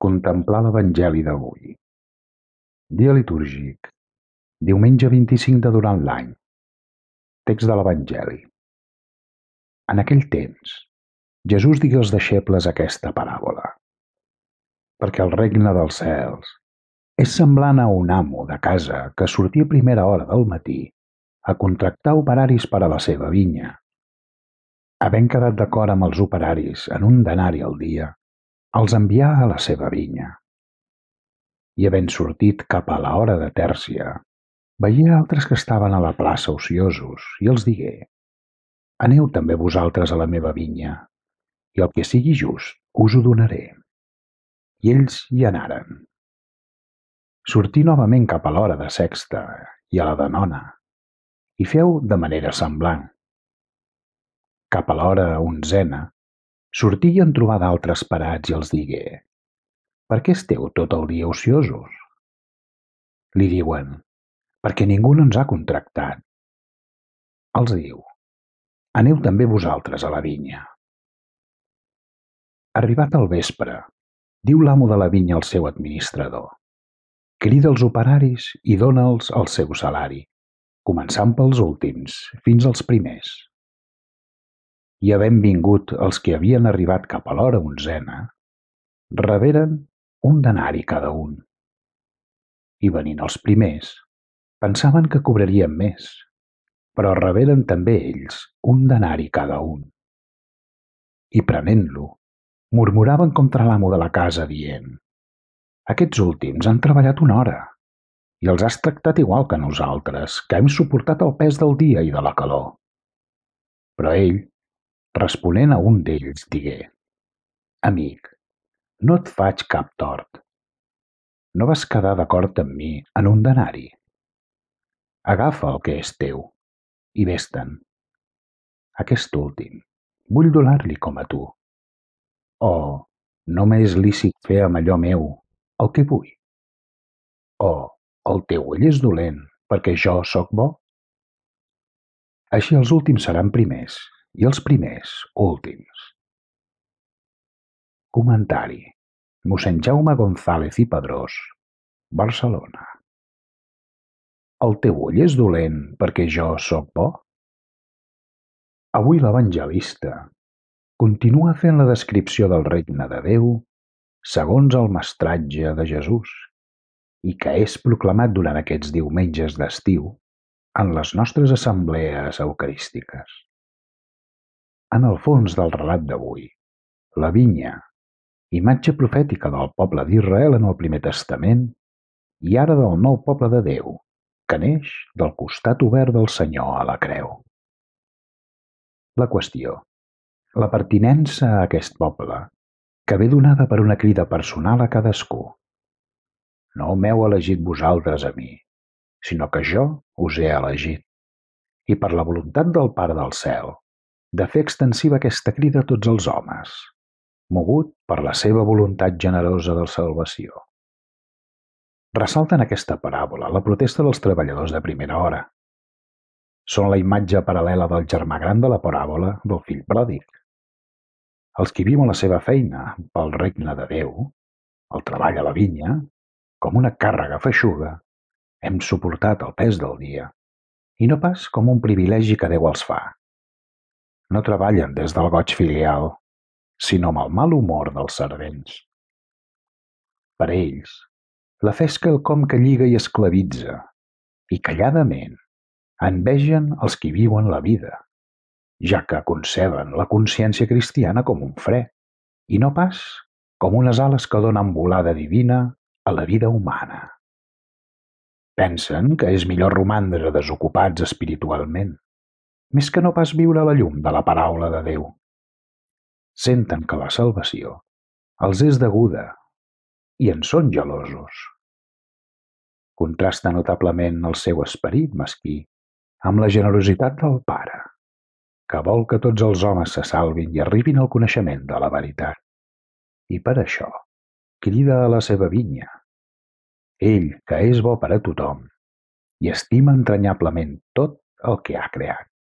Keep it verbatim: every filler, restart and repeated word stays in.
Contemplar l'Evangeli d'avui. Dia litúrgic. Diumenge vint-i-cinc de durant l'any. Text de l'Evangeli. En aquell temps, Jesús digué als deixebles aquesta paràbola. Perquè el regne dels cels és semblant a un amo de casa que sortia a primera hora del matí a contractar operaris per a la seva vinya. Havent quedat d'acord amb els operaris en un denari al dia, els envià a la seva vinya. I havent sortit cap a l'hora de tèrcia, veié altres que estaven a la plaça ociosos i els digué: Aneu també vosaltres a la meva vinya, i el que sigui just us ho donaré. I ells hi anaren. Sortí novament cap a l'hora de sexta i a la de nona, i feu de manera semblant. Cap a l'hora onzena, sortí i en trobà d'altres parats i els digué: Per què esteu tot el dia ociosos? Li diuen: Perquè ningú no ens ha contractat. Els diu: Aneu també vosaltres a la vinya. Arribat al vespre, diu l'amo de la vinya al seu administrador: Crida els operaris i dona'ls el seu salari, començant pels últims fins als primers. I havent vingut els que havien arribat cap a l'hora onzena, reberen un denari cada un. I venint els primers, pensaven que cobrarien més, però reberen també ells un denari cada un. I prenent-lo, murmuraven contra l'amo de la casa dient: Aquests últims han treballat una hora i els has tractat igual que nosaltres, que hem suportat el pes del dia i de la calor. Però ell, responent a un d'ells, digué: Amic, no et faig cap tort. No vas quedar d'acord amb mi en un denari? Agafa el que és teu i vés-te'n. Aquest últim vull donar-li com a tu. O no m'és lícit fer amb allò meu el que vull? O el teu ull és dolent perquè jo sóc bo? Així els últims seran primers i els primers últims. Comentari: mossèn Jaume González i Padrós, Barcelona. El teu ull és dolent perquè jo sóc bo? Avui l'evangelista continua fent la descripció del regne de Déu segons el mestratge de Jesús i que és proclamat durant aquests diumenges d'estiu en les nostres assemblees eucarístiques. En el fons del relat d'avui, la vinya, imatge profètica del poble d'Israel en el Primer Testament i ara del nou poble de Déu, que neix del costat obert del Senyor a la creu. La qüestió: la pertinença a aquest poble, que ve donada per una crida personal a cadascú. No m'heu elegit vosaltres a mi, sinó que jo us he elegit, i per la voluntat del Pare del cel, de fer extensiva aquesta crida a tots els homes, mogut per la seva voluntat generosa de salvació. Ressalta en aquesta paràbola la protesta dels treballadors de primera hora. Són la imatge paral·lela del germà gran de la paràbola del fill pròdig. Els qui viuen la seva feina pel regne de Déu, el treball a la vinya, com una càrrega feixuga, hem suportat el pes del dia, i no pas com un privilegi que Déu els fa. No treballen des del goig filial, sinó amb el mal humor dels servents. Per ells, la fe és quelcom que lliga i esclavitza, i calladament envegen els qui viuen la vida, ja que conceben la consciència cristiana com un fre, i no pas com unes ales que donen volada divina a la vida humana. Pensen que és millor romandre desocupats espiritualment, més que no pas viure a la llum de la paraula de Déu. Senten que la salvació els és deguda i en són gelosos. Contrasta notablement el seu esperit mesquí amb la generositat del Pare, que vol que tots els homes se salvin i arribin al coneixement de la veritat. I per això crida a la seva vinya, ell que és bo per a tothom i estima entranyablement tot el que ha creat.